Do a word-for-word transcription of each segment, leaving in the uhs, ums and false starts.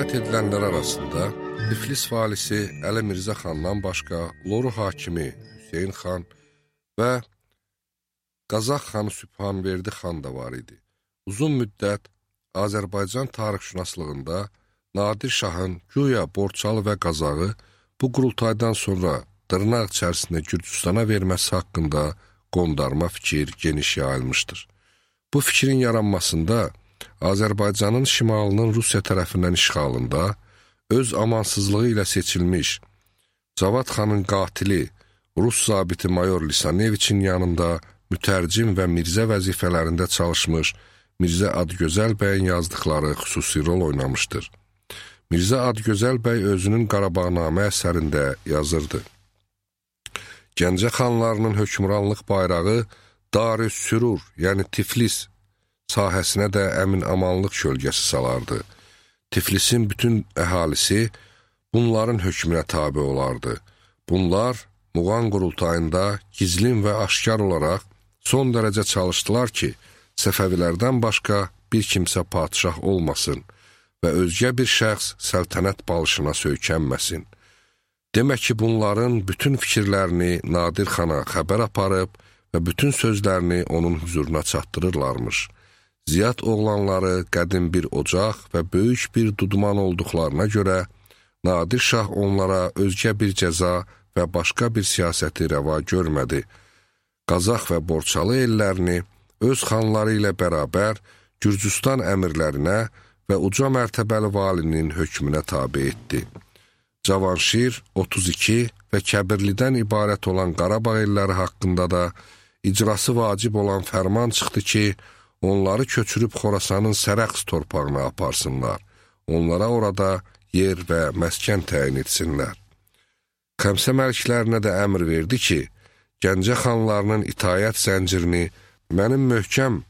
rivayət edilənlər arasında Tiflis valisi Əli Mirzə xandan başqa Loru hakimi Hüseyin xan və Qazax xanı Sübhanverdi xan da var idi. Uzun müddət Azərbaycan tarixşünaslığında Nadir Şahın güya Borçalı və Qazağı bu qurultaydan sonra dırnaq içərisində Gürcüstana verməsi haqqında qondarma fikir geniş yayılmışdır. Bu fikrin yaranmasında Azərbaycanın şimalının Rusiya tərəfindən işğalında öz amansızlığı ilə seçilmiş Cavad xanın qatili Rus zabiti mayor Lisaneviçin yanında mütərcim və Mirzə vəzifələrində çalışmış Mirzə Adgözəl bəyin yazdıqları xüsusi rol oynamışdır. Mirzə Adgözəl bəy özünün Qarabağnamə əsərində yazırdı. Gəncə xanlarının hökmranlıq bayrağı Darüssürur, yəni Tiflis sahəsinə də əmin-amanlıq kölgəsi salardı. Tiflisin bütün əhalisi bunların hökmünə tabi olardı. Bunlar Muğan qurultayında gizlin və aşkar olaraq son dərəcə çalışdılar ki, Səfəvilərdən başqa bir kimsə padişah olmasın və özgə bir şəxs səltənət balışına söykənməsin. Demək ki, bunların bütün fikirlərini Nadir xana xəbər aparıb və bütün sözlərini onun huzuruna çatdırırlarmış. Ziyad oğlanları qədim bir ocaq və böyük bir duduman olduqlarına görə Nadir Şah onlara özgə bir cəza və başqa bir siyasəti rəva görmədi. Qazax və Borçalı ellərini öz xanları ilə bərabər Gürcüstan əmirlərinə və uca mərtəbəli valinin hökmünə tabi etdi. Cavanşir, otuz iki və Kəbirlidən ibarət olan Qarabağ elləri haqqında da icrası vacib olan fərman çıxdı ki, onları köçürüb Xorasanın Sərəqs torpağına aparsınlar. Onlara orada yer və məskən təyin etsinlər. Xəmsə məliklərinə də əmr verdi ki, Gəncə xanlarının itayət zəncirini mənim möhkəm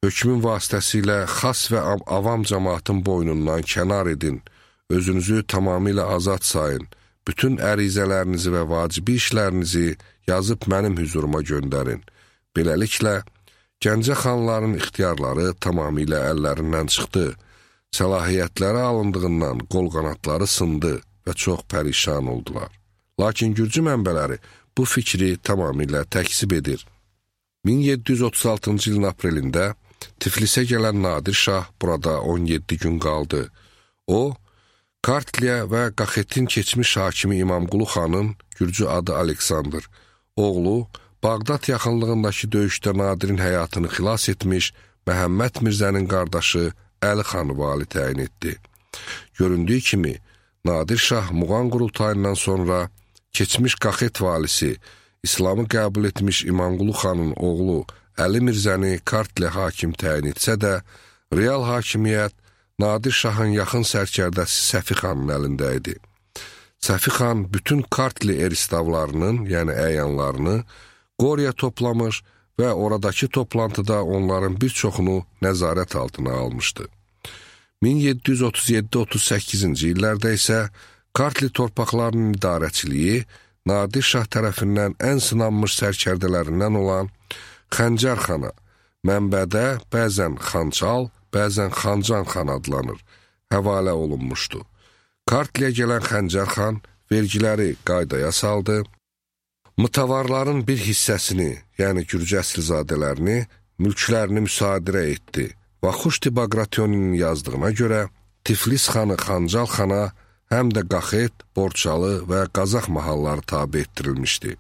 hökmün vasitəsilə xas və avam cəmaatın boynundan kənar edin, özünüzü tamamilə azad sayın, bütün ərizələrinizi və vacibi işlərinizi yazıb mənim hüzuruma göndərin. Beləliklə, Gəncə xanların ixtiyarları tamamilə əllərindən çıxdı, səlahiyyətləri alındığından qol-qanatları sındı və çox pərişan oldular. Lakin Gürcü mənbələri bu fikri tamamilə təksib edir. min yeddi yüz otuz altıncı ilin aprelində Tiflisə gələn Nadir Şah burada on yeddi gün qaldı. O, Kartliya və Qaxetin keçmiş hakimi İmamqulu xanın Gürcü adı Aleksandr, oğlu Bağdad yaxınlığındakı döyüşdə Nadirin həyatını xilas etmiş Məhəmməd Mirzənin qardaşı Əli xanı vali təyin etdi. Göründüyü kimi, Nadir Şah Muğan qurultayından sonra keçmiş Qaxet valisi, İslamı qəbul etmiş İmamqulu xanın oğlu Əli Mirzəni Kartliya hakim təyin etsə də, real hakimiyyət Nadir Şahın yaxın sərkərdəsi Səfi xanın əlində idi. Səfi xan bütün Kartli eristavlarının, yəni əyanlarını Qoriya toplamış və oradakı toplantıda onların bir çoxunu nəzarət altına almışdı. min yeddi yüz otuz yeddi otuz səkkizinci illərdə isə Kartli torpaqlarının idarəçiliyi Nadir Şah tərəfindən ən sınanmış sərkərdələrindən olan Xəncər xana, mənbədə bəzən Xançal, bəzən Xancan xan adlanır, həvalə olunmuşdu. Kartliyə gələn Xəncər xan vergiləri qaydaya saldı, mutavarların bir hissəsini, yəni Gürcü əsilzadələrini, mülklərini müsadirə etdi. Vaxuşti Baqratyoninin yazdığına görə Tiflis xanı Xancal xana həm də Qaxet, Borçalı və Qazax mahalları tabi etdirilmişdi.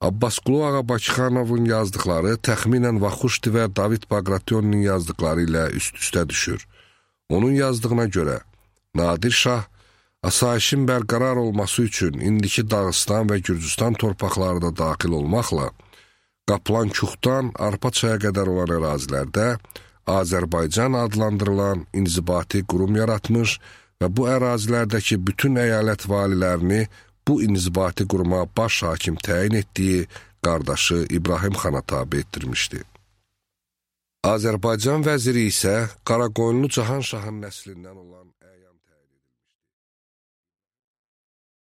Abbasqulu Ağa Bakıxanovun yazdıqları təxminən Vaxuşti və David Baqratyoninin yazdıqları ilə üst-üstə düşür. Onun yazdığına görə Nadir Şah asayişin bərqərar olması üçün indiki Dağıstan və Gürcüstan torpaqları da daxil olmaqla Qaplan-Kuxdan Arpaçaya qədər olan ərazilərdə Azərbaycan adlandırılan inzibati qurum yaratmış və bu ərazilərdəki bütün əyalət valilərini bu inzibati quruma baş hakim təyin etdiyi qardaşı İbrahim xana tabi etdirmişdi. Azərbaycan vəziri isə Qaraqoyunlu Cahan Şahın nəslindən olan